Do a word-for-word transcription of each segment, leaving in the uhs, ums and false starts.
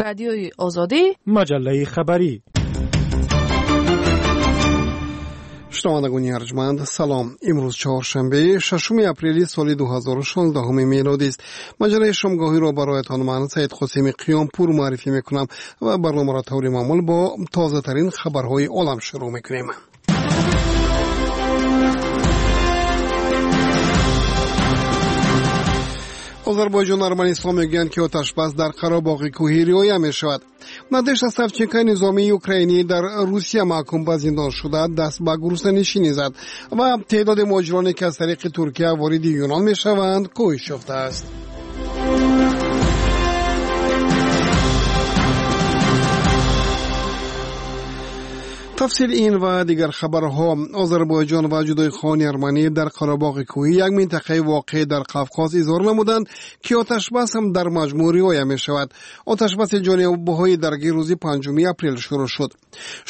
Радиои Озодӣ, маҷаллаи хабарӣ. Шунавандагони арҷманд, салом. Имрӯз чоршанбе, шашуми апрели соли дуҳазору шонздаҳуми мелодист. Маҷаллаи шомгоҳиро бароятон ман, Саид Қосими Қиёмпур, муаррифӣ мекунам ва барномаро таври маъмул бо тозатарин хабарҳои олам шурӯъ мекунем. Озарбойҷон Арманистон мегӯянд, ки оташбас дар Қарабоғи кӯҳӣ риоя мешавад. Надежда Савченко, низомии украинӣ дар Русия маҳкум ба зиндон шуда, даст ба гуруснанишинӣ зад ва теъдоди муҳоҷироне, ки аз тариқи Туркия вориди Юнон мешаванд, коҳиш ёфтааст. Тафсили ин ва дигар хабарҳо. Озарбойҷон ва ҷудоихоҳони арманӣ дар Қарабоғи кӯҳӣ, як минтақаи воқеъ дар Қавқоз, изҳор намуданд, ки оташбас ҳам дар маҷмӯъ риоя мешавад. Оташбаси ҷонибҳои даргир рӯзи панҷуми апрел шурӯъ шуд.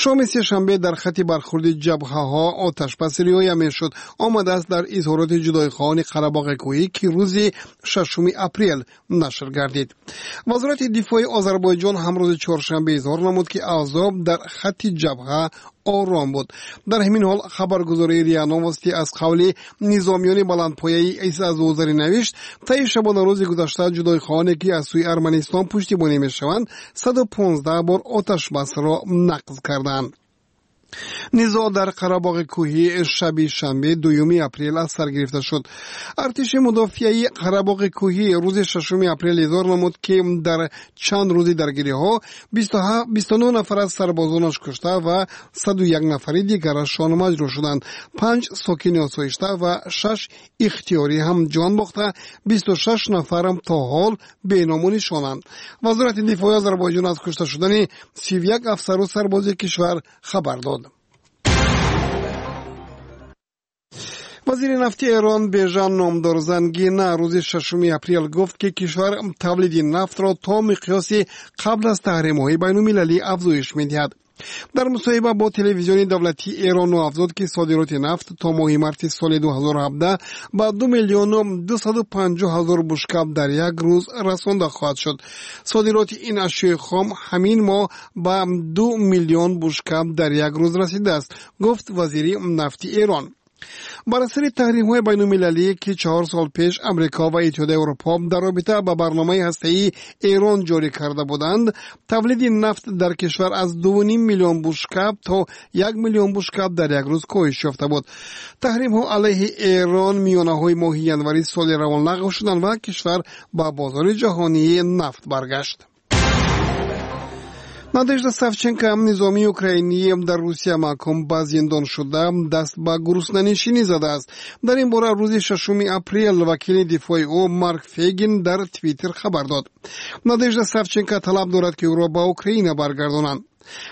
Шоми сешанбе дар хати бархурди ҷабҳаҳо оташбас риоя мешуд. Омадааст дар изҳороти ҷудоихоҳони Қарабоғи кӯҳӣ, ки рӯзи шашуми апрел нашр гардид. Вазорати дифои Озарбойҷон ҳам рӯзи чоршанбе изҳор намуд, ки авзоъ дар хати ҷабҳа ором буд. Дар ҳамин ҳол хабаргузории РИА Новости аз қавли низомиёни баландпояи Исазозарӣ навишт, таи шабонарӯзи гузашта ҷудоихоҳоне, ки аз сӯи Арманистон пуштибонӣ мешаванд, саду понздаҳ бор оташбасро нақз карданд. Низоъ дар Қарабоғи кӯҳӣ шаби шанбе, дуюми апрел, аз сар гирифта шуд. Артиши мудофиаи Қарабоғи кӯҳӣ рӯзи шашуми апрел изҳор намуд, ки дар чанд рӯзи даргириҳо бисту нӯҳ нафар аз сарбозонаш кушта ва саду як нафари дигарашон маҷрӯҳ шуданд. Панҷ сокини осоишта ва шаш ихтиёрӣ ҳам ҷон бохта, бисту шаш нафарам то ҳол беному нишонанд. Вазорати дифои Озарбойҷон аз кушта шудани сию як афсару сарбози кишвар хабар дод. Вазири нафти Эрон Бежан Номдор Зангина рӯзи шашуми апрел гуфт, ки кишвар тавлиди нафтро то миқёси қабл аз таҳримҳои байнулмилалӣ афзоиш медиҳад. Дар мусоҳиба бо телевизиони давлатии Эрон афзуд, ки содироти нафт то моҳи марти соли дуҳазору ҳабдаҳ ба ду миллиону дусаду панҷоҳ ҳазор бушкаб дар як рӯз расонда хоҳад шуд. Содироти ин ашёи хом ҳамин моҳ ба ду миллион бушкаб дар як рӯз расидааст, гуфт вазири нафти Эрон. Бар асари таҳримҳои байнулмилалӣ, ки чаҳор сол пеш Амрико ва Иттиҳоди Аврупо дар робита ба барномаи ҳастаии Эрон ҷорӣ карда буданд, тавлиди нафт дар кишвар аз дуву ним миллион бушкаб то як миллион бушкаб дар як рӯз коҳиш ёфта буд. Таҳримҳо алайҳи Эрон миёнаҳои моҳи январи соли равон лағв шуданд ва кишвар ба бозори ҷаҳонии нафт баргашт. Надежда Савченко, низомии украинӣ дар Русия маҳкум ба зиндон шуда, даст ба гуруснанишинӣ задааст. Дар ин бора рӯзи шашуми апрел вакили дифои ӯ Марк Фегин дар Твиттер хабар дод. Надежда Савченко талаб дорад, ки ӯро ба Украина баргардонанд.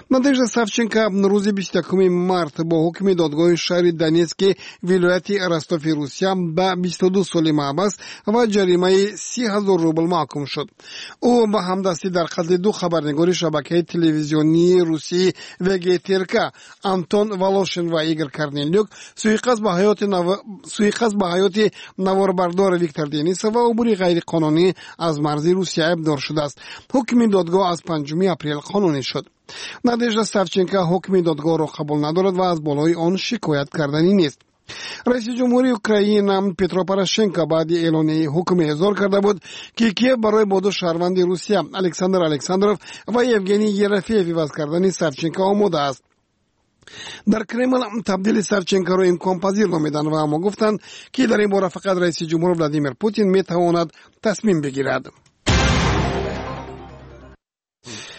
Надежда Савченко рӯзи бисту якуми март бо ҳукми додгоҳи шаҳри Донецки вилояти Ростови Русия ба бисту ду соли маҳбас ва ҷаримаи си ҳазор рубл маҳкум шуд. Ӯ ба ҳамдастӣ дар қатли ду хабарнигори шабакаи телевизионии русии В Г Т Р К Антон Волошин ва Игор Корнелюк, суиқасд ба ҳаёти наворбардор Виктор Денисов ва убури ғайриқонунӣ аз марзи Русия айбдор шудааст. Ҳукми додгоҳ аз панҷуми апрел қонунӣ шуд. Надежда Савченко ҳукми додгоҳро қабул надорад ва аз болои он шикоят карданӣ нест. Раиси ҷумҳури Украина Петро Порошенко баъди эълони ҳукм эъзор карда буд, ки Киев барои бо ду шаҳрванди Русия Александр Александров ва Евгений Ерофеев иваз кардани Савченко омода аст. Дар Кремл табдили Савченкоро имконпазир номиданд ва аммо гуфтанд, ки дар ин бора фақат раиси ҷумҳур Владимир Путин метавонад тасмим бигирад.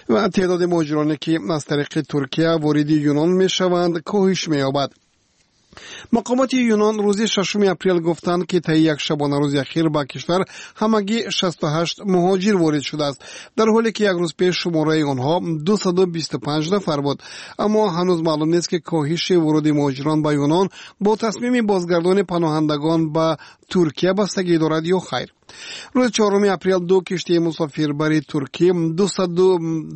Ва теъдоди муҳоҷироне, ки аз тариқи Туркия вориди Юнон мешаванд, коҳиш меёбад. Мақомоти Юнон рӯзи шашуми апрел гуфтанд, ки таи як шабонарӯзи ахир ба кишвар ҳамагӣ шасту ҳашт муҳоҷир ворид шудааст, дар ҳоле ки як рӯз пеш шумораи онҳо дусаду бисту панҷ нафар буд. Аммо ҳанӯз маълум нест, ки коҳиши вуруди муҳоҷирон ба Юнон бо тасмими бозгардони паноҳандагон ба Туркия бастагӣ дорад ё хайр. Рӯзи чоруми апрел ду киштии мусофирбари туркӣ дусаду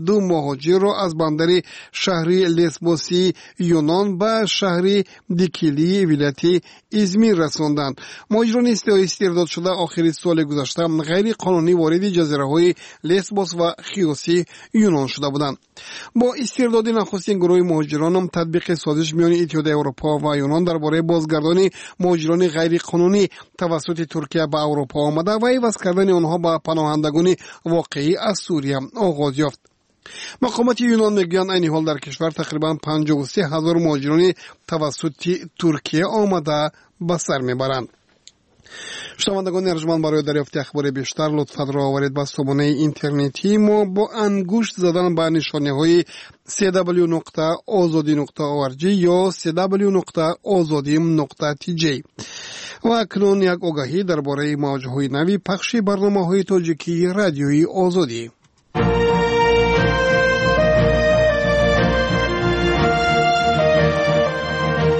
ду муҳоҷирро аз бандари шаҳри Лесбосии Юнон ба шаҳри Дикилии вилояти Измир расонданд. Муҳоҷирони истирдодшуда охири соли гузашта ғайриқонунӣ вориди ҷазираҳои Лесбос ва Хиоси Юнон шуда буданд. Бо истирдоди нахустин гурӯҳи муҳоҷирон татбиқи созиш миёни Иттиҳоди Аврупо ва Юнон дар бораи бозгардони муҳоҷирони ғайриқонунӣ тавассути Туркия ба Аврупо омада ва иваз кардани онҳо ба паноҳандагони воқеӣ аз Сурия оғоз ёфт. Мақомоти Юнон мегӯянд, айни ҳол дар кишвар тақрибан панҷоҳу се ҳазор муҳоҷирони тавассути Туркия омада ба сар мебаранд. Шунавандагони арҷманд, барои дарёфти ахбори бештар лутфан ро оваред ба сомонаи интернетии мо бо ангушт задан ба нишонаҳои си дабл ю нуқта озодӣ нуқта орг ё си дабл ю нуқта озодӣ нуқта тж. Ва акнун як огаҳӣ дар бораи мавҷҳои нави пахши барномаҳои тоҷикии Радиои Озодӣ.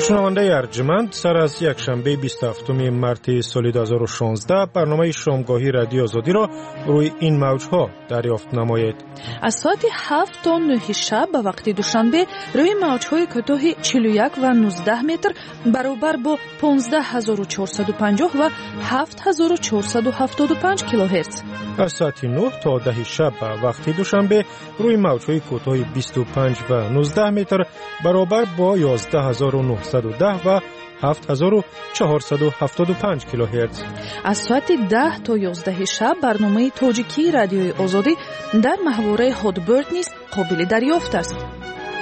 Шунавандаи арҷманд, сар аз якшанбеи бисту ҳафтуми марти соли ду ҳазору шонздаҳ барномаи шомгоҳии Радиои Озодиро рӯи ин мавҷҳо дарёфт намоед. Аз соати ҳафт то нӯҳи шаб ба вақти Душанбе рӯи мавҷҳои кӯтоҳи чилу як ва нуздаҳ метр баробар бо понздаҳ ҳазору чорсаду панҷоҳ ва ҳафт ҳазору чорсаду ҳафтоду панҷ килогерц. Аз соати нӯҳ то даҳи шаб ба вақти Душанбе рӯи мавҷҳои кӯтоҳи бисту панҷ ва нуздаҳ метр баробар бо ёздаҳ ҳазору нӯҳсаду даҳ ва ҳафт ҳазору чаҳорсаду ҳафтоду панҷ килогерц. Аз соати даҳ то ёздаҳи шаб барномаи тоҷикии Радиои Озодӣ дар маҳвораи Hotbird низ қобили дарёфт аст.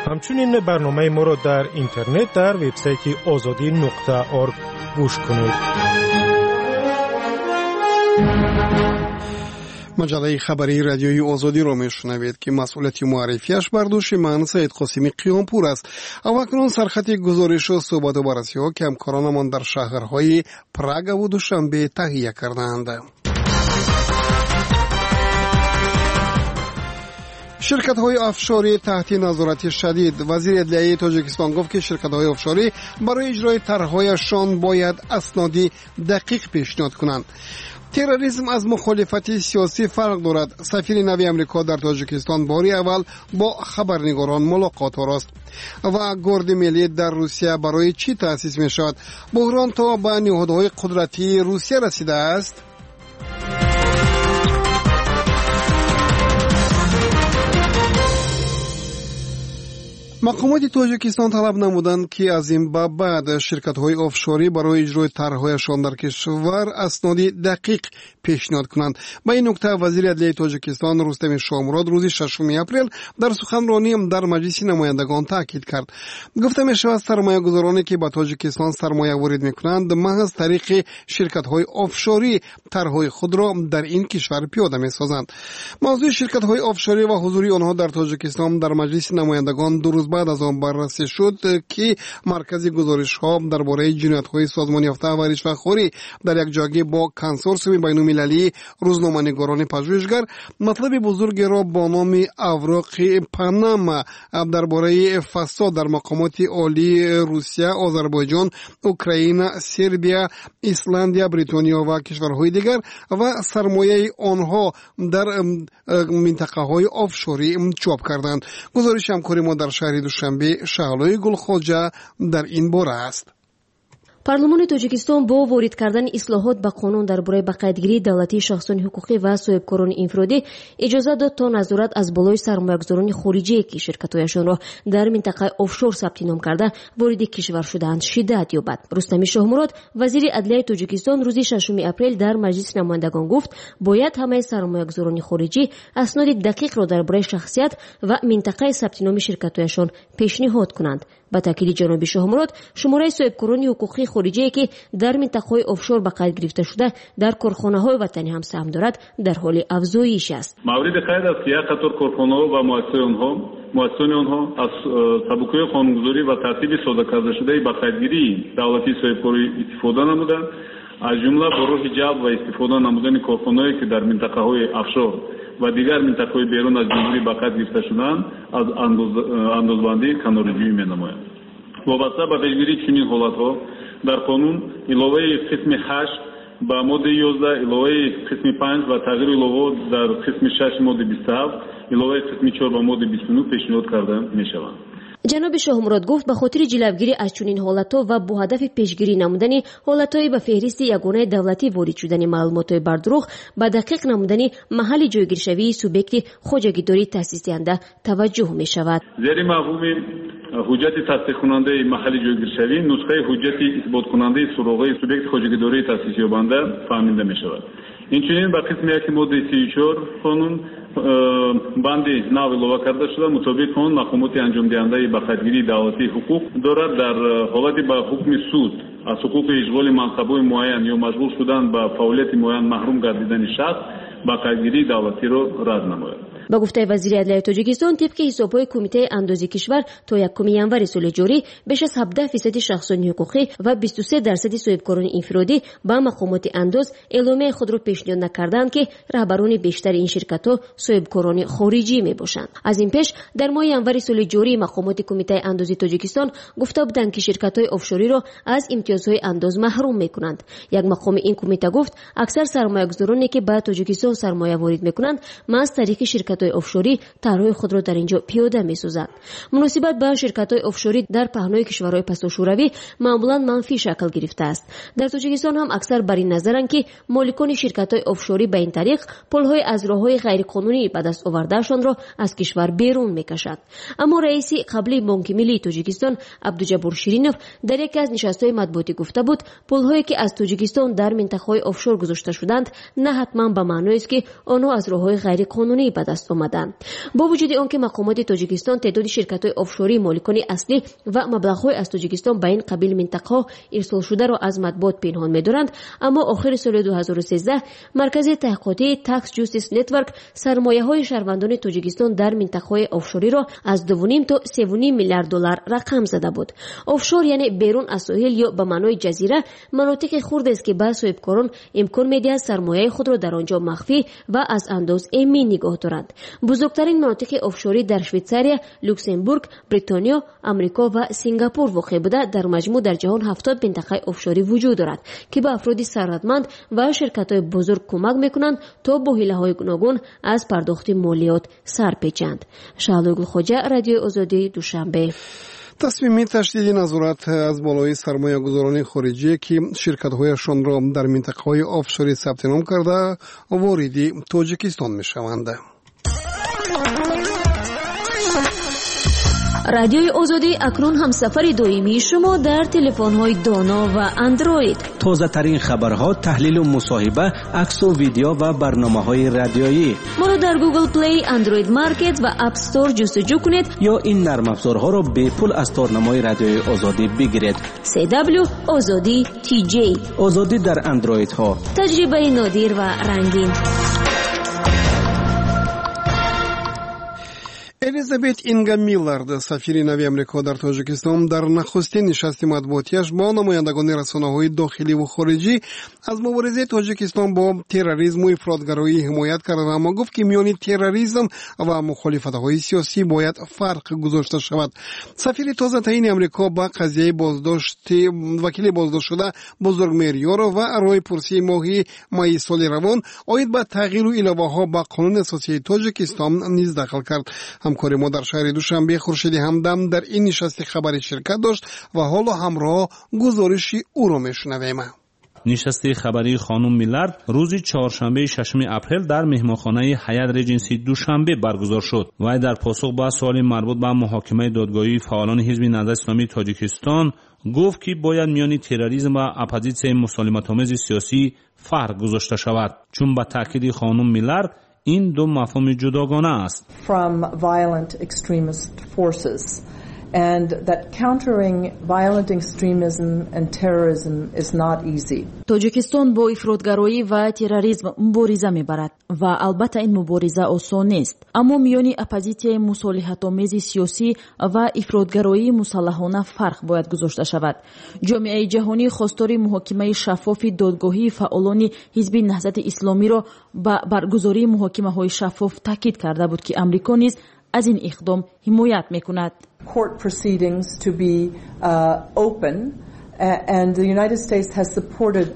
Ҳамчунин барномаи моро дар интернет дар вебсайти озодӣ нуқта орг гӯш кунед. Маҷаллаи хабарии Радиои Озодиро мешунавед, ки масъулияти муаррифиаш бар дӯши ман, Саид Қосими Қиёмпур, аст. Аввакунун сархати гузоришу суҳбату баррасиҳо, ки ҳамкоронамон дар шаҳрҳои Прагаву Душанбе таҳия кардаанд. Ширкатҳои офшорӣ таҳти назорати шадид. Вазири адлияи Тоҷикистон гуфт, ки ширкатҳои офшорӣ барои иҷрои тарҳҳояшон бояд асноди дақиқ пешниҳод кунанд. Терроризм аз мухолифати сиёсӣ фарқ дорад. Сафири нави Амрико дар Тоҷикистон бори аввал бо хабарнигорон мулоқот орост. Ва Горди миллӣ дар Русия барои чӣ таъсис мешавад? Буҳрон то ба ниҳодҳои қудратии Русия расидааст. Мақомоти Тоҷикистон талаб намуданд, ки аз ин ба баъд ширкатҳои офшорӣ барои иҷрои тарҳҳояшон дар кишвар асноди дақиқ пешниҳод кунанд. Ба ин нукта вазири адлияи Тоҷикистон Рустами Шоҳмурод рӯзи шашуми апрел дар суханронӣ дар Маҷлиси намояндагон таъкид кард. Гуфта мешавад, сармоягузороне, ки ба Тоҷикистон сармоя ворид мекунанд, маҳз тариқи ширкатҳои офшорӣ тарҳҳои худро дар ин кишвар пиёда месозанд. Мавзӯи ширкатҳои офшорӣ ва ҳузури онҳо дар Тоҷикистон дар Маҷлиси намояндагон ду рӯз баъд аз он баррасӣ шуд, ки Маркази гузоришҳо дар бораи ҷиноятҳои созмонёфта ва ришвахорӣ дар якҷоягӣ бо Консорсиуми байнулмилалии рӯзноманигорони пажӯҳишгар матлаби бузургеро бо номи Авроқи Панама дар бораи фасод дар мақомоти олии Русия, Озарбойҷон, Украина, Сербия, Исландия, Бритониё ва кишварҳои дигар ва сармояи онҳо дар минтақаҳои офшорӣ чоп карданд. Гузориши ҳамкори мо дар шаҳри Душанбе Шаҳлои Гулхоҷа дар ин бора аст. Парлумони Тоҷикистон бо ворид кардани ислоҳот ба қонун дар бораи ба қайдгирии давлатии шахсони ҳуқуқӣ ва соҳибкорони инфиродӣ иҷозат дод, то назорат аз болои сармоягузорони хориҷие, ки ширкатҳояшонро дар минтақаи офшор сабти ном карда вориди кишвар шудаанд, шиддат ёбад. Рустами Шоҳмурод, вазири адлияи Тоҷикистон, рӯзи шашуми апрел дар Маҷлиси намояндагон гуфт, бояд ҳамаи сармоягузорони хориҷӣ асноди дақиқро дар бораи шахсият ва минтақаи сабти номи ширкатҳояшон пешниҳод кунанд. Ба таъкиди ҷаноби Шоҳмурод, шумораи соҳибкорони ҳуқуқии хориҷие, ки дар минтақаҳои офшор ба қайд гирифта шуда, дар корхонаҳои ватанӣ ҳам саҳм дорад, дар ҳоли афзоиш аст. Мавриди қайд аст, ки як қатор корхонаҳо ва муассисони онҳо аз э, сабукиҳои қонунгузорӣ ва тартиби содакардашудаи ба қайдгирии давлатии соҳибкорӣ истифода намуда, аз ҷумла бо роҳи ҷалб ва истифода намудани корхонаҳое, ки дар минтақаҳои офшор ва дигар минтақаҳои берун аз ҷумҳурӣ ба қайд гирифта шудаанд, аз андозбандӣ канораҷӯӣ менамоянд. Вобаста ба пешгирии чунин ҳолатҳо дар қонун иловаи қисми ҳашт Ба моддаи ёздаҳ иловаи қисми панҷ ва тағйиру иловаҳо дар қисми шаш моддаи бисту ҳафт, иловаи қисми чор ба моддаи бисту нӯҳ пешниҳод карда мешаванд. Ҷаноби Шоҳмурод гуфт, ба хотири ҷилавгирӣ аз чунин ҳолатҳо ва бо ҳадафи пешгирӣ намудани ҳолатҳои ба феҳристи ягонаи давлатӣ ворид шудани маълумотҳои бардурӯғ, ба дақиқ намудани маҳалли ҷойгиршавии субъекти хоҷагидории таъсисдиҳанда таваҷҷӯҳ мешавад. Зери мафҳуми ҳуҷҷати тасдиқкунандаи маҳалли ҷойгиршавӣ нусхаи ҳуҷҷати исботкунандаи суроғаи субъекти хоҷагидории таъсисёбанда фаҳмида мешавад. Инчунин ба қисми яки моддаи сию чор қонун банди нав илова карда шуда, мутобиқи он мақомоти анҷомдиҳандаи ба қайдгирии давлатии ҳуқуқ дорад дар ҳолати ба ҳукми суд аз ҳуқуқи ишғоли мансабҳои муайян ё машғул шудан ба фаъолияти муайян маҳрум гардидани шахс ба қайдгирии давлатиро рад намояд. Ба гуфтаи вазири адлияи Тоҷикистон, тибқи ҳисобҳои Кумитаи андози кишвар то якуми январи соли ҷорӣ беш аз ҳабдаҳ фисади шахсони ҳуқуқӣ ва бисту се дарсади соҳибкорони инфиродӣ ба мақомоти андоз эъломияи худро пешниҳод накардаанд, ки раҳбарони бештари ин ширкатҳо соҳибкорони хориҷӣ мебошанд. Аз ин пеш дар моҳи январи соли ҷорӣ мақомоти Кумитаи андози Тоҷикистон гуфта буданд, ки ширкатҳои офшориро аз имтиёзҳои андоз маҳрум мекунанд. Як мақоми ин кумита гуфт, аксар сармоягузороне ки ба Тоҷикистон сармоя ворид мекунанд, маҳз тариқи ширкат офшорӣ тарҳҳои худро дар инҷо пиёда месозанд. Муносибат ба ширкатҳои офшорӣ дар паҳнои кишварҳои пасошӯравӣ маъмулан манфӣ шакл гирифтааст. Дар Тоҷикистон ҳам аксар бар ин назаранд, ки моликони ширкатҳои офшорӣ ба ин тариқ пулҳои аз роҳҳои ғайриқонунӣ ба даст овардаашонро аз кишвар берун мекашанд. Аммо раиси қаблии Бонки Миллии Тоҷикистон Абдуҷаббор Ширинов дар яке аз нишастҳои матбуотӣ гуфта буд, пулҳое ки аз Тоҷикистон дар минтақаҳои офшор гузошта шуданд, на ҳатман ба маъноест, ки онҳо аз роҳҳои ғайриқонунӣ ба даст омаданд. Бо вуҷуди он ки мақомоти Тоҷикистон теъдоди ширкатҳои офшорӣ, моликони аслӣ ва маблағҳои аз Тоҷикистон ба ин қабил минтақаҳо ирсолшударо аз матбуот пинҳон медоранд, аммо охири соли ду ҳазору сездаҳ Маркази таҳқиқотии Tax Justice Network сармояҳои шаҳрвандони Тоҷикистон дар минтақаҳои офшориро аз дуву ним то севу ним миллиард доллар рақам зада буд. Офшор яъне берун аз соҳил ё ба маънои ҷазира манотиқи хурдест, ки ба соҳибкорон имкон медиҳад сармояи худро дар он ҷо махфӣ ва аз андоз эмин нигоҳ доранд. Бузургтарин манотиқи офшорӣ дар Швейтсария, Люксембург, Бритониё, Амрико ва Сингапур воқеъ буда, дар маҷмӯъ дар ҷаҳон ҳафтод минтақаи офшорӣ вуҷуд дорад, ки ба афроди сарватманд ва ширкатҳои бузург кӯмак мекунанд то бо ҳилаҳои гуногун аз пардохти молиёт сар печанд. Шаҳлои Гулхоҷа, Радиои Озодӣ, Душанбе. Тасмими ташдиди назорат аз болои сармоягузорони хориҷие, ки ширкатҳояшонро дар минтақаҳои офшорӣ сабти ном карда, вориди Тоҷикистон мешаванд. Радиои Озодӣ акнун ҳамсафари доимии шумо дар телефонҳои доно ва андроид. Тозатарин хабарҳо, таҳлилу мусоҳиба, аксу видео ва барномаҳои радиоӣ. Моро дар Google Play, Android Market ва App Store ҷустуҷӯ кунед ё ин нармафзорҳоро бепул аз торнамои Радиои Озодӣ бигиред. си дабл ю Озодӣ ти ҷей. Озодӣ дар андроидҳо. Таҷрибаи нодир ва рангин. Элизабет Инга Миллард, сафири нави Амрико дар Тоҷикистон, дар нахустин нишасти матбуотиаш бо намояндагони расонаҳои дохилӣ ва хориҷӣ аз муборизаи Тоҷикистон бо терроризму ифротгароӣ ҳимоят кард, аммо гуфт, ки миёни терроризм ва мухолифатҳои сиёсӣ бояд фарқ гузошта шавад. Сафири тозатаини Амрико ба қазияи боздошти вакили боздоштшуда Бузургмеҳр Ёров ва роҳи пурсии моҳи майи соли равон оид ба тағйиру иловаҳо ба қонуни асосии Тоҷикистон низ дахл кард. Ҳамкори мо дар шаҳри Душанбе Хуршиди Ҳамдам дар ин нишасти хабарӣ ширкат дошт ва ҳоло ҳамроҳ гузориши ӯро мешунавем. Нишасти хабарии хонум Миллард рӯзи чоршанбеи шашуми апрел дар меҳмонхонаи Ҳаят Реҷенси Душанбе баргузор шуд. Вай дар посух ба суоли марбут ба муҳокимаи додгоҳии фаъолони ҳизби Наҳзати Исломии Тоҷикистон гуфт, ки бояд миёни терроризм ва оппозитсияи мусолиматомези сиёсӣ фарқ гузошта шавад, чун ба таъкиди хонум Миллард ин ду мафҳуми ҷудогона аст. From violent extremist forces and that countering violent extremism and terrorism is not easy. Тоҷикистон бо ифротгароӣ ва терроризм мубориза мебарад ва албатта ин мубориза осон нест. Аммо миёни оппозитсияи мусолиҳатомези сиёсӣ ва ифротгароии мусаллаҳона фарқ бояд гузошта шавад. Ҷомеаи ҷаҳонӣ хостори муҳокимаи шаффофи додгоҳии фаъолони ҳизби Наҳзати Исломиро ба баргузории муҳокимаҳои шаффоф таъкид карда буд, ки Амрико низ аз ин иқдом ҳимоят мекунад. Court proceedings to be uh, open And the United States has supported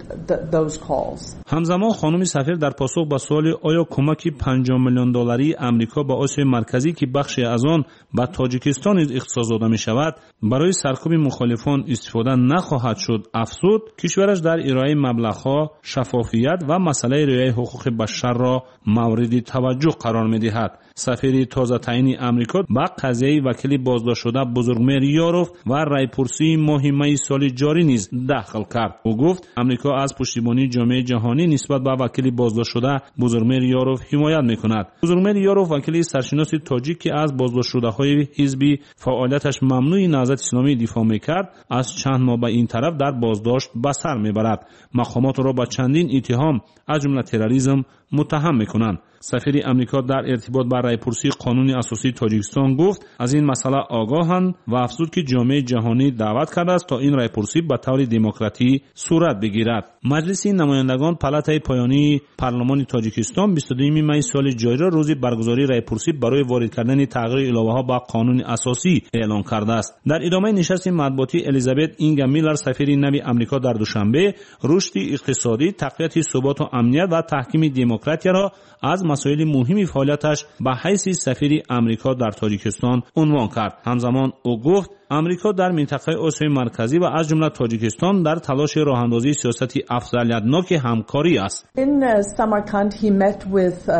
those calls. Ҳамзамон хонуми сафир дар посух ба суоли оё кӯмаки панҷоҳ миллион долларии Амрико ба Осиёи Марказӣ, ки бахше аз он ба Тоҷикистон низ ихтисос дода мешавад, барои саркӯби мухолифон истифода нахоҳад шуд, афзуд кишвараш дар ироаи маблағҳо шаффофият ва масъалаи риояи ҳуқуқи башарро мавриди таваҷҷӯҳ қарор медиҳад. Сафири тозатаъини Амрико ба қазияи вакили боздоштшуда Бузургмеҳр Ёров ва райпурсии моҳи майи соли ҷорӣ низ дахл кард. Ӯ гуфт Амрико аз пуштибонии ҷомеаи ҷаҳонӣ нисбат ба вакили боздоштшуда Бузургмеҳр Ёров ҳимоят мекунад. Бузургмеҳр Ёров вакили саршиноси тоҷик, ки аз боздоштшудаҳои ҳизби фаъолияташ мамнӯи Наҳзати Исломӣ дифоъ мекард, аз чанд моҳ ба ин тараф дар боздошт ба сар мебарад. Мақомот ӯро ба чандин иттиҳом аз ҷумла терроризм муттаҳам мекунанд. Сафири Амрико дар иртибот ба райпурсии қонуни асосии Тоҷикистон гуфт аз ин масъала огоҳанд ва афзуд ки ҷомеаи ҷаҳонӣ даъват кардааст то ин райпурсӣ ба таври демократӣ сурат бигирад. Маҷлиси намояндагон палатаи поёнии парлумони Тоҷикистон бисту дуюми майи соли ҷориро рӯзи баргузории райпурсӣ барои ворид кардани тағйиру иловаҳо ба қонуни асосӣ эълон кардааст. Дар идомаи нишасти матбуотӣ Элизабет Инга Миллар, сафири нави Амрико дар Душанбе, рушди иқтисодӣ, тақвияти суботу амният ва таҳкими демократияро аз масоили муҳими фаъолияташ ба ҳайси сафири Амрико дар Тоҷикистон унвон кард. Ҳамзамон ӯ гуфт Амрико дар минтақаи Осиёи Марказӣ ва аз ҷумла Тоҷикистон дар талоши роҳандозии сиёсати афзалиятноки ҳамкорӣ аст. In Samarkand he met with uh,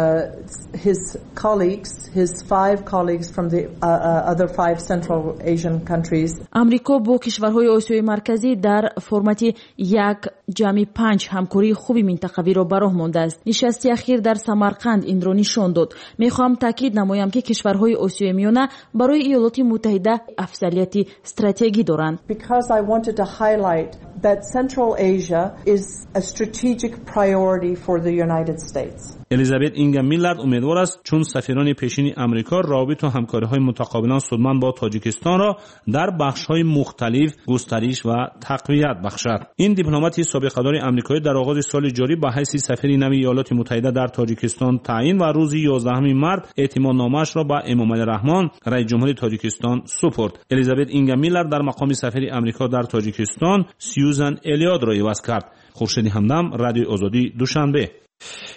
his colleagues, his five colleagues from the uh, other five Central Asian countries. Амрико бо кишварҳои Осиёи Марказӣ дар формати як ҷамъи панҷ ҳамкории хуби минтақавиро ба роҳ мондааст. Нишасти ахир дар Самарқанд инро нишон дод. Мехоҳам таъкид намоям, ки кишварҳои Осиёи Миёна барои Иёлоти Муттаҳида афзалияти стратегӣ доранд. Because I wanted to highlight that Central Asia is a strategic priority for the United States. Элизабет Инга Миллард умедвор аст, чун сафирони пешини Амрико равобиту ҳамкориҳои мутақобилан судманд бо Тоҷикистонро дар бахшҳои мухталиф густариш ва тақвият бахшад. Ин дипломати собиқадори амрикоӣ дар оғози соли ҷорӣ ба ҳайси сафири нави Иёлоти Муттаҳида дар Тоҷикистон таъин ва рӯзи ёздаҳуми март эътимодномаашро ба Эмомалӣ Раҳмон, раиси ҷумҳури Тоҷикистон, супурд. Элизабет Инга Миллард дар мақоми сафири Амрико дар Тоҷикистон Сьюзан Элиотро иваз кард. Хуршеди Ҳамдам, Радиои Озодӣ, Душанбе.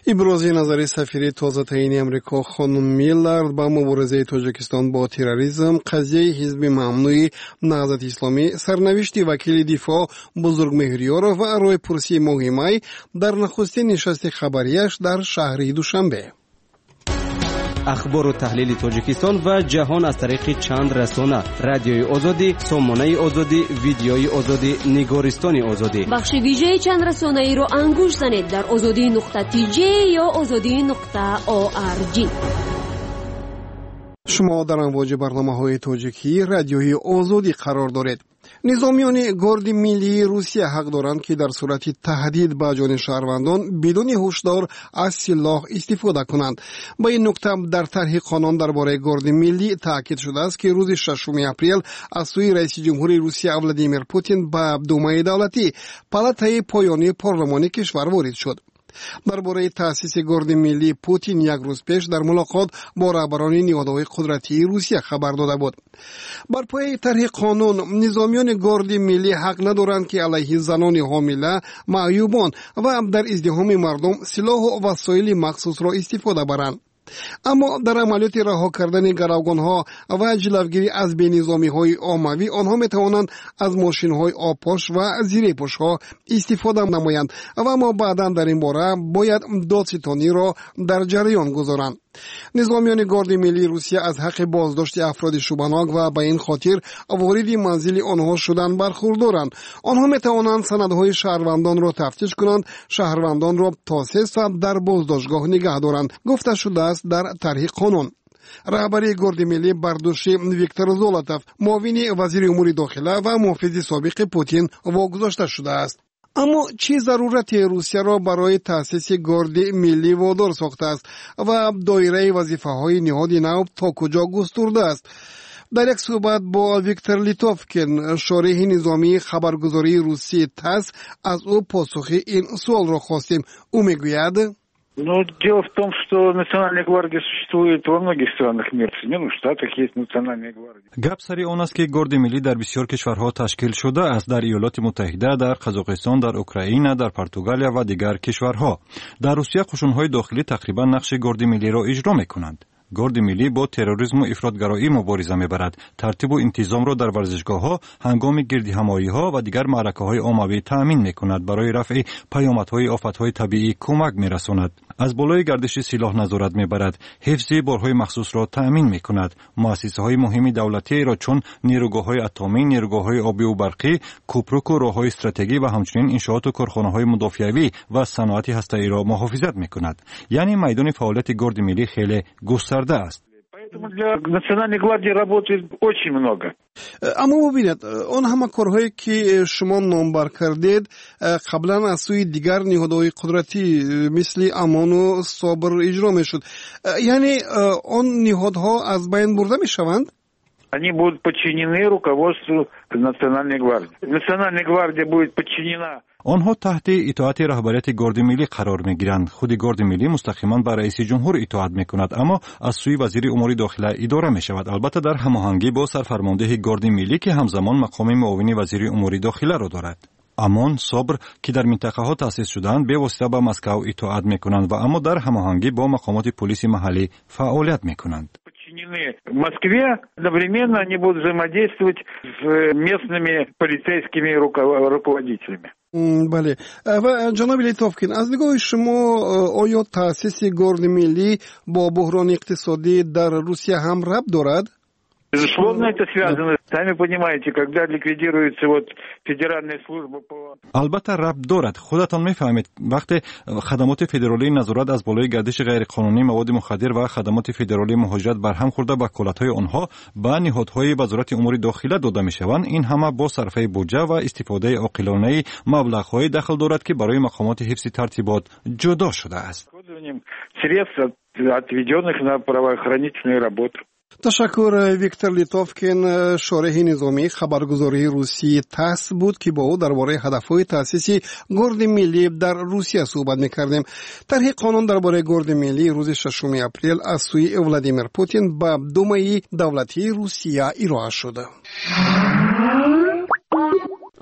Ибрози назари сафири тозатаъини Амрико хонум Миллард ба муборизаи Тоҷикистон бо терроризм, қазияи ҳизби мамнӯи Наҳзати Исломӣ, сарнавишти вакили дифоъ Бузургмеҳр Ёров ва ройпурсии моҳи май дар нахустин нишасти хабарияш дар шаҳри Душанбе. Ахбору таҳлили Тоҷикистон ва ҷаҳон аз тариқи чанд расона: Радиои Озодӣ, Сомонаи Озодӣ, Видеои Озодӣ, Нигористони Озодӣ. Бахши вижаи чанд расонаиро ангуш занед дар озодӣ нуқта тж ё озодӣ нуқта орг. Шумо дар амвоҷи барномаҳои тоҷикии Радиои Озодӣ қарор доред. Низомиёни Горди миллии Русия ҳақ доранд, ки дар сурати таҳдид ба ҷони шаҳрвандон бидуни ҳушдор аз силоҳ истифода кунанд. Ба ин нукта дар тарҳи қонун дар бораи Горди миллӣ таъкид шудааст, ки рӯзи шашуми апрел аз сӯи раиси ҷумҳури Русия Владимир Путин ба Думаи давлатӣ, палатаи поёнии парлумони кишвар, ворид шуд. Дар бораи таъсиси Горди миллӣ Путин як рӯз пеш дар мулоқот бо раҳбарони ниҳодҳои қудратии Русия хабар дода буд. Бар пояи тарҳи қонун низомиёни Горди миллӣ ҳақ надоранд, ки алайҳи занони ҳомила, маъюбон ва дар издиҳоми мардум силоҳу васоили махсусро истифода баранд. Аммо дар амалиёти раҳо кардани гаравгонҳо ва ҷилавгирӣ аз бенизомиҳои оммавӣ онҳо метавонанд аз мошинҳои обпош ва зирепӯшҳо истифода намоянд ва аммо баъдан дар ин бора бояд додситониро дар ҷараён гузоранд. Низомиёни Горди миллии Русия аз ҳаққи боздошти афроди шубҳанок ва ба ин хотир вориди манзили онҳо шудан бархурдоранд. Онҳо метавонанд санадҳои шаҳрвандонро тафтиш кунанд, шаҳрвандонро то се соат дар боздоштгоҳ нигаҳ доранд, гуфта шудааст дар тарҳи қонун. Раҳбарии Горди миллӣ бар дӯши Виктор Золотов, муовини вазири умури дохила ва муҳофизи собиқи Путин, вогузошта шудааст. Аммо чӣ зарурате Русияро барои таъсиси Горди миллӣ водор сохтааст ва доираи вазифаҳои ниҳоди нав то куҷо густурдааст? Дар як суҳбат бо Виктор Литовкин, шореҳи низомии хабаргузории русии ТАСС, аз ӯ посухи ин суолро хостем. Ӯ мегӯяд: Ну, дело в том, что Национальная гвардия существует во многих странах мира. В Соединенных Штатах есть Национальная гвардия. Гап сари он аст, ки Горди миллӣ дар бисёр кишварҳо ташкил шудааст: дар Иёлоти Муттаҳида, дар Қазоқистон, дар Украина, дар Португалия ва дигар кишварҳо. Дар Русия қушунҳои дохилӣ тақрибан нақши Горди миллиро иҷро мекунанд. Горди миллӣ бо терроризму ифротгароӣ мубориза мебарад, тартибу интизомро дар варзишгоҳҳо ҳангоми гирдиҳамоиҳо ва дигар маъракаҳои оммавӣ таъмин мекунад, барои рафъи паёмадҳои офатҳои табиӣ кӯмак мерасонад, аз болои гардиши силоҳ назорат мебарад, ҳифзи борҳои махсусро таъмин мекунад, муассисаҳои муҳими давлатиеро, чун нерӯгоҳҳои атомӣ, нерӯгоҳҳои обиву барқӣ, кӯпруку роҳҳои стратегӣ ва ҳамчунин иншооту корхонаҳои мудофиавӣ ва саноати ҳастаиро муҳофизат мекунад. Яъне майдони фаъолияти Горди миллӣ хеле густарда аст. Поэтому для Национальной гвардии работы очень много. Аммо бубинед, он ҳама корҳое, ки шумо номбар кардед, қаблан аз сӯи дигар ниҳодҳои қудратӣ, мисли ОМОНу СОБР, иҷро мешуд. Яъне он ниҳодҳо аз байн бурда мешаванд? Они будут подчинены руководству Национальной гвардии. Национальная гвардия будет подчинена. Онҳо таҳти итоати раҳбарияти Горди миллӣ қарор мегиранд. Худи Горди миллӣ мустақиман ба раиси ҷумҳур итоат мекунад, аммо аз сӯи вазири умури дохила идора мешавад, албатта, дар ҳамоҳангӣ бо сарфармондеҳи Горди миллӣ, ки ҳамзамон мақоми муовини вазири умури дохиларо дорад. ОМОН, СОБР, ки дар минтақаҳо таъсис шудаанд, бевосита ба Москав итоат мекунанд ва аммо дар ҳамоҳангӣ бо мақомоти пулиси маҳаллӣ фаъолият мекунанд. Подчинены Москве, одновременно они будут взаимодействовать с местными полицейскими руководителями. Бале, ва ҷаноби Литовкин, аз нигоҳи шумо, оё таъсиси Горди миллӣ бо буҳрони иқтисодӣ дар Русия ҳам рабт дорад? Безусловно, это связано. Сами понимаете, когда ликвидируется вот федеральная служба по... Албатта, рабт дорад. Худатон мефаҳмед, вақте хадамоти федералии назорат аз болои гардиши ғайриқонунии маводи мухаддир ва хадамоти федералии муҳоҷират барҳам хӯрда, ваколатҳои онҳо ба ниҳодҳои Вазорати умури дохила дода мешаванд, ин ҳама бо сарфаи буҷа ва истифодаи оқилонаи маблағҳое дахл дорад, ки барои мақомоти ҳифзи тартибот ҷудо шудааст. Средств, отведенных на правоохранительную работу. Ташаккур. Виктор Литовкин, шореҳи низомии хабаргузории русии ТАСС буд, ки бо ӯ дар бораи ҳадафҳои таъсиси Горди миллӣ дар Русия суҳбат мекардем. Тарҳи қонун дар бораи Горди миллӣ рӯзи шашуми апрел аз сӯи Владимир Путин ба Думаи давлатии Русия ироа шуд.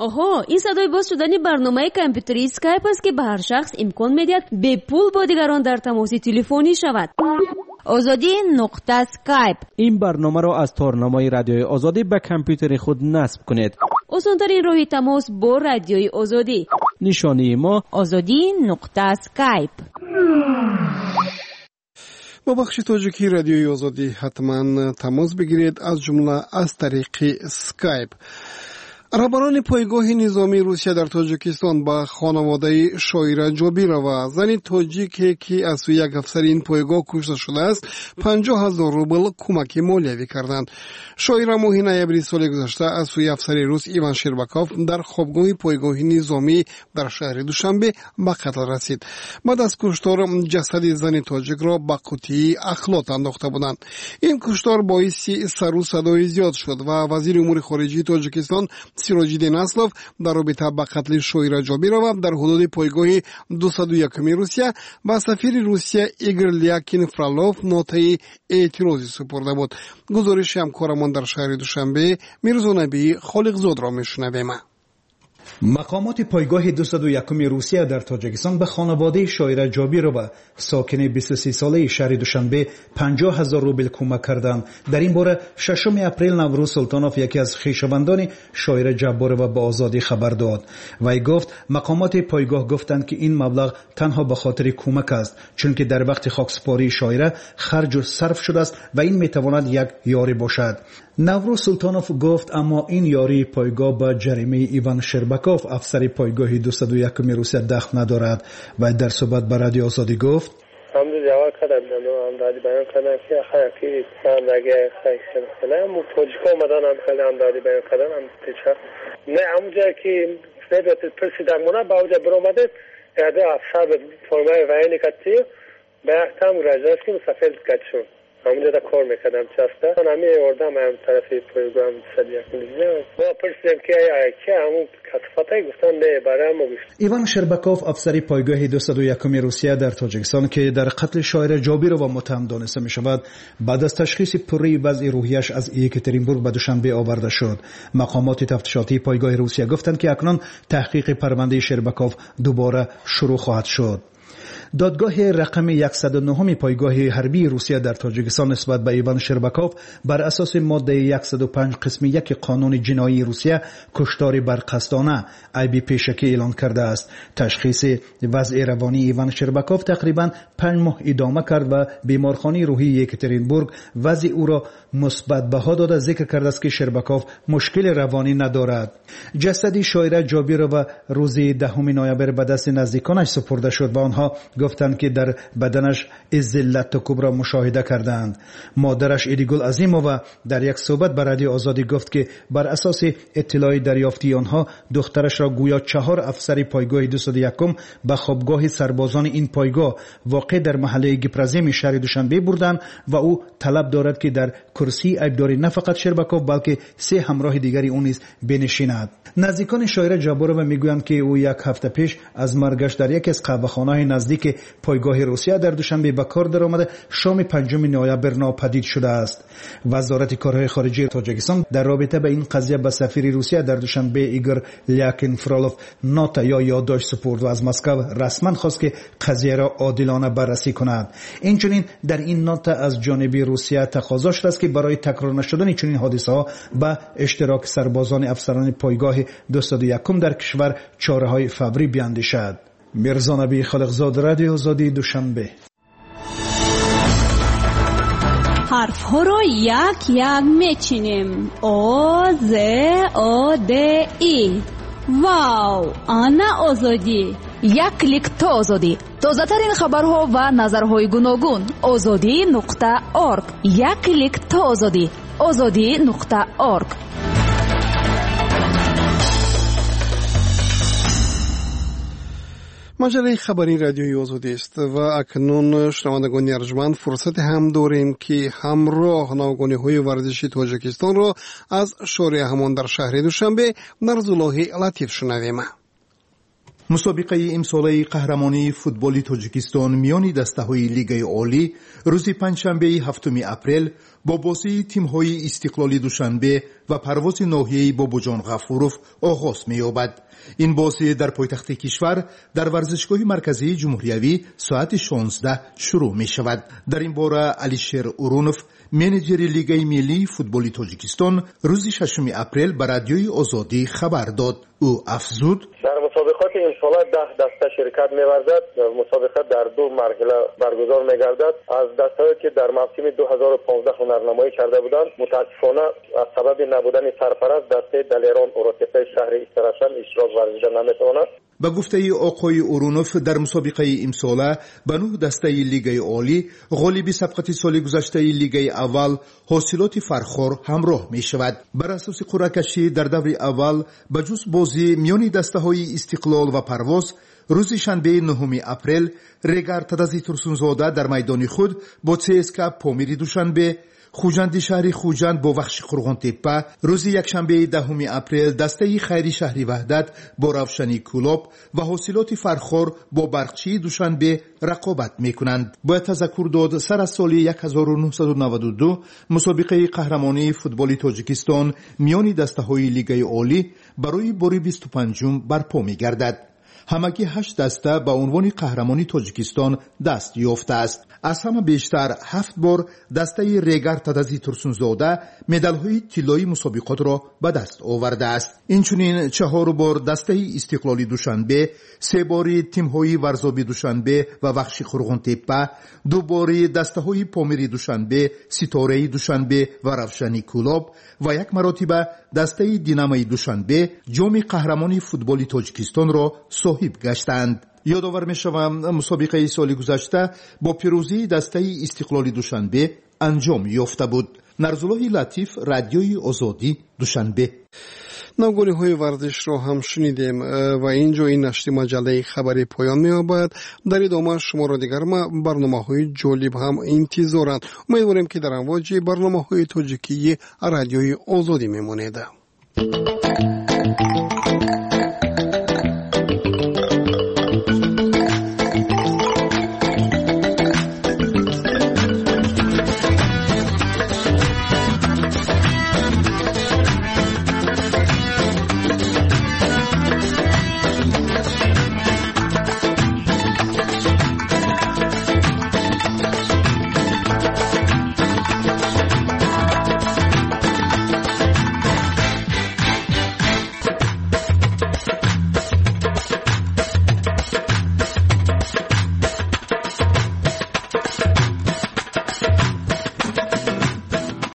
Оҳо, ин садои боз шудани барномаи компютерии Скайп аст, ки ба ҳар шахс имкон медиҳад бепул бо дигарон дар тамоси телефонӣ шавад. Озодӣ нуқта скайп. Ин барномаро аз торнамои Радиои Озодӣ ба компютери худ насб кунед. Осонтарин роҳи тамос бо Радиои Озодӣ. Нишонии мо: Озодӣ нуқта скайп. Бо бахши тоҷикии Радиои Озодӣ ҳатман тамос бигиред, аз ҷумла аз тариқи Скайп. Раҳбарони пойгоҳи низомии Русия дар Тоҷикистон ба хонаводаи Шоира Ҷобирова, зани тоҷике, ки аз сӯи як афсари ин пойгоҳ кушта шудааст, панҷоҳ ҳазор рубл кӯмаки молиявӣ карданд. Шоира моҳи ноябри соли гузашта аз сӯи афсари рус Иван Шербаков дар хобгоҳи пойгоҳи низомӣ дар шаҳри Душанбе ба қатл расид. Баъд аз куштор ҷасади зани тоҷикро ба қутии ахлот андохта буданд. Ин куштор боиси сару садои зиёд шуд ва вазири умури хориҷии Тоҷикистон Сироҷиддин Аслов дар робита ба қатли Шоира Ҷобирова дар ҳудуди пойгоҳи дусаду якуми Русия ба сафири Русия Игор Лякин Фролов нотаи эътирозӣ супурда буд. Гузориши ҳамкорамон дар шаҳри Душанбе Мирзонабии Холиқзодро мешунавем. Мақомоти пойгоҳи дусаду якуми Русия дар Тоҷикистон ба хонаводаи Шоира Ҷобирова, сокини бисту се солаи шаҳри Душанбе, панҷоҳ ҳазор рубл кӯмак карданд. Дар ин бора шашуми апрел Наврӯз Султонов, яке аз хешовандони Шоира Ҷабборова, ба Озодӣ хабар дод. Вай гуфт, мақомоти пойгоҳ гуфтанд, ки ин маблағ танҳо ба хотири кӯмак аст, чунки дар вақти хоксупории Шоира харҷу сарф шудааст ва ин метавонад як ёрӣ бошад. Наврӯз Султонов гуфт, аммо ин ёрии пойгоҳ ба ҷаримаи Иван Шербаков, афсари пойгоҳи дусаду якуми Русия, дахл надорад. Вай дар суҳбат ба Радиои Озодӣ гуфт: Ҳамду ҷавоб кардам, ҳамдардӣ баён кардам, ки ки тоҷико омадан, ҳам хеле ҳамдардӣ баён кардан. Ҳам пеша не, ҳамун ҷое ки пурсидан мона, ба оҷа биромадем, яде афсар формаи военный кати ба яктам гражданский мусафир катишон. Ҳамунҷода кор мекардам часта. Ҳами ордам ҳам тарафи пойгоҳам сад якум мо пурсидем ки ки ҳамун касофатай, гуфтан не, барои мо гуфт. Иван Шербаков, афсари пойгоҳи дусаду якуми Русия дар Тоҷикистон, ки дар қатли шоира Ҷобирова муттаҳам дониста мешавад, баъд аз ташхиси пурраи вазъи рӯҳияш аз Екатеринбург ба Душанбе оварда шуд. Мақомоти тафтишотии пойгоҳи Русия гуфтанд, ки акнун таҳқиқи парвандаи Шербаков дубора шурӯъ хоҳад шуд. Додгоҳи рақами яксаду нӯҳуми пойгоҳи ҳарбии Русия дар Тоҷикистон нисбат ба Иван Шербаков бар асоси моддаи яксаду панҷ қисми яки қонуни ҷиноии Русия куштори барқасдона айби пешакӣ эълон кардааст. Ташхиси вазъи равонии Иван Шербаков тақрибан панҷ моҳ идома кард ва беморхонаи рӯҳии Екатеринбург вазъи ӯро мусбат баҳо дода зикр кардааст, ки Шербаков мушкили равонӣ надорад. Ҷасади шоира Ҷобирова рӯзи даҳуми ноябр ба дасти наздиконаш супурда шуд ва онҳо гуфтанд, ки дар баданаш иззи латтукубро мушоҳида карданд. Модараш Идигул Азимова дар як суҳбат ба Радиои Озодӣ гуфт, ки бар асоси иттилои дарёфтии онҳо духтарашро гӯё чаҳор афсари пойгоҳи дусаду якум ба хобгоҳи сарбозони ин пойгоҳ воқеъ дар маҳаллаи Гипраземи шаҳри Душанбе бурданд ва ӯ талаб дорад, ки дар курсии айбдорӣ на фақат Шербаков, балки се ҳамроҳи дигари ӯ низ бинишинад. Наздикони шоира Ҷабборова мегӯянд, ки ӯ як ҳафта пеш аз маргаш дар яке аз қаҳвахонаҳои наздики пойгоҳи Русия дар Душанбе ба кор даромада шоми панҷуми ноябр нопадид шудааст. Вазорати корҳои хориҷии Тоҷикистон дар робита ба ин қазия ба сафири Русия дар Душанбе Игор Лякин Фролов нота ё ёддошт супурд ва аз Москва расман хост, ки қазияро одилона баррасӣ кунад. Инчунин дар ин нота аз ҷониби Русия тақозо шудааст, ки барои такрор нашудани чунин ҳодисаҳо ба иштироки сарбозони афсарони пойгоҳи дусаду якум дар кишвар чораҳои фаврӣ биандешад. Мирзонаби Халиқзод, Радиои Озодӣ, Душанбе. Ҳарфҳоро як-як мечинем. О, З, О, Д, И. Вау! Ана Озодӣ! Як клик то Озодӣ. Тозатарин хабарҳо ва назарҳои гуногун. Озодӣ нуқта орг. Як клик то Озодӣ. Озодӣ нуқта орг. Маҷаллаи хабарии Радиои Озодист ва акнун шунавандагони арҷманд фурсате ҳам дорем, ки ҳамроҳ навгониҳои варзиши Тоҷикистонро аз шореъ ҳамон дар шаҳри Душанбе Нарзуллоҳи Латиф шунавем. Мусобиқаи имсолаи қаҳрамонии футболи Тоҷикистон миёни дастаҳои Лигаи Олӣ рӯзи панҷшанбеи ҳафтуми апрел бо бозии тимҳои Истиқлоли Душанбе ва Парвози ноҳияи Бобоҷон Ғафуров оғоз меёбад. Ин бозӣ дар пойтахти кишвар дар варзишгоҳи марказии ҷумҳуриявӣ соати шонздаҳ шурӯъ мешавад. Дар ин бора Алишер Урунов, менеҷери Лигаи миллии футболи Тоҷикистон, рӯзи шашуми апрел ба Радиои Озодӣ хабар дод. Ӯ афзуд: дар мусобиқоти имсола даҳ даста ширкат меварзад. Мусобиқа дар ду марҳила баргузор мегардад. Аз дастаҳое ки дар мавсими ду ҳазору понздаҳ ҳунарнамоӣ карда буданд, мутаассифона аз сабаби набудани сарпараст дастаи Далерон Уротепаи шаҳри Истаравшан иштирок варзида наметавонад. Ба гуфтаи оқои Урунов, дар мусобиқаи имсола ба нӯҳ дастаи Лигаи Олӣ ғолиби сабқати соли гузаштаи Лигаи аввал ҳосилоти Фархор ҳамроҳ мешавад. Бар асоси қуръакашӣ дар даври аввал ба ҷуз бозӣ миёни дастаҳои Истиқлол ва Парвоз рӯзи шанбеи нӯҳуми апрел Регар Тадази Турсунзода дар майдони худ бо ЦСК Помири Душанбе, Хуҷанди шаҳри Хуҷанд бо Вахши Қурғонтеппа, рӯзи якшанбеи даҳуми апрел дастаи Хайри шаҳри Ваҳдат бо Равшани Кӯлоб ва ҳосилоти Фархор бо Барқчии Душанбе рақобат мекунанд. Бояд тазаккур дод, сар аз соли як ҳазору нӯҳсаду наваду ду мусобиқаи қаҳрамонии футболи Тоҷикистон миёни дастаҳои Лигаи Олӣ барои бори бисту панҷум барпо мегардад. Ҳамагӣ ҳашт даста ба унвони қаҳрамони Тоҷикистон даст ёфтааст. Аз ҳама бештар ҳафт бор дастаи Регар Тадази Турсунзода медалҳои тиллоии мусобиқотро ба даст овардааст. Инчунин чаҳор бор дастаи Истиқлоли Душанбе, се бори тимҳои Варзоби Душанбе ва Вахши Қурғонтеппа, ду бори дастаҳои Помири Душанбе, Ситораи Душанбе ва Равшани Кӯлоб ва як маротиба дастаи Динамои Душанбе ҷоми қаҳрамони футболи Тоҷикистонро соҳиб гаштанд. Ёдовар мешавам, мусобиқаи соли гузашта бо пирӯзии дастаи Истиқлоли Душанбе анҷом ёфта буд. Нарзуллоҳи Латиф, Радиои Озодӣ, Душанбе. Навгониҳои варзишро ҳам шунидем ва ин ҷо ин нашри маҷаллаи хабарӣ поён меёбад. Дар идома шуморо дигар барномаҳои ҷолиб ҳам интизоранд. Умедворем, ки дар амвоҷи барномаҳои тоҷикии Радиои Озодӣ мемонед.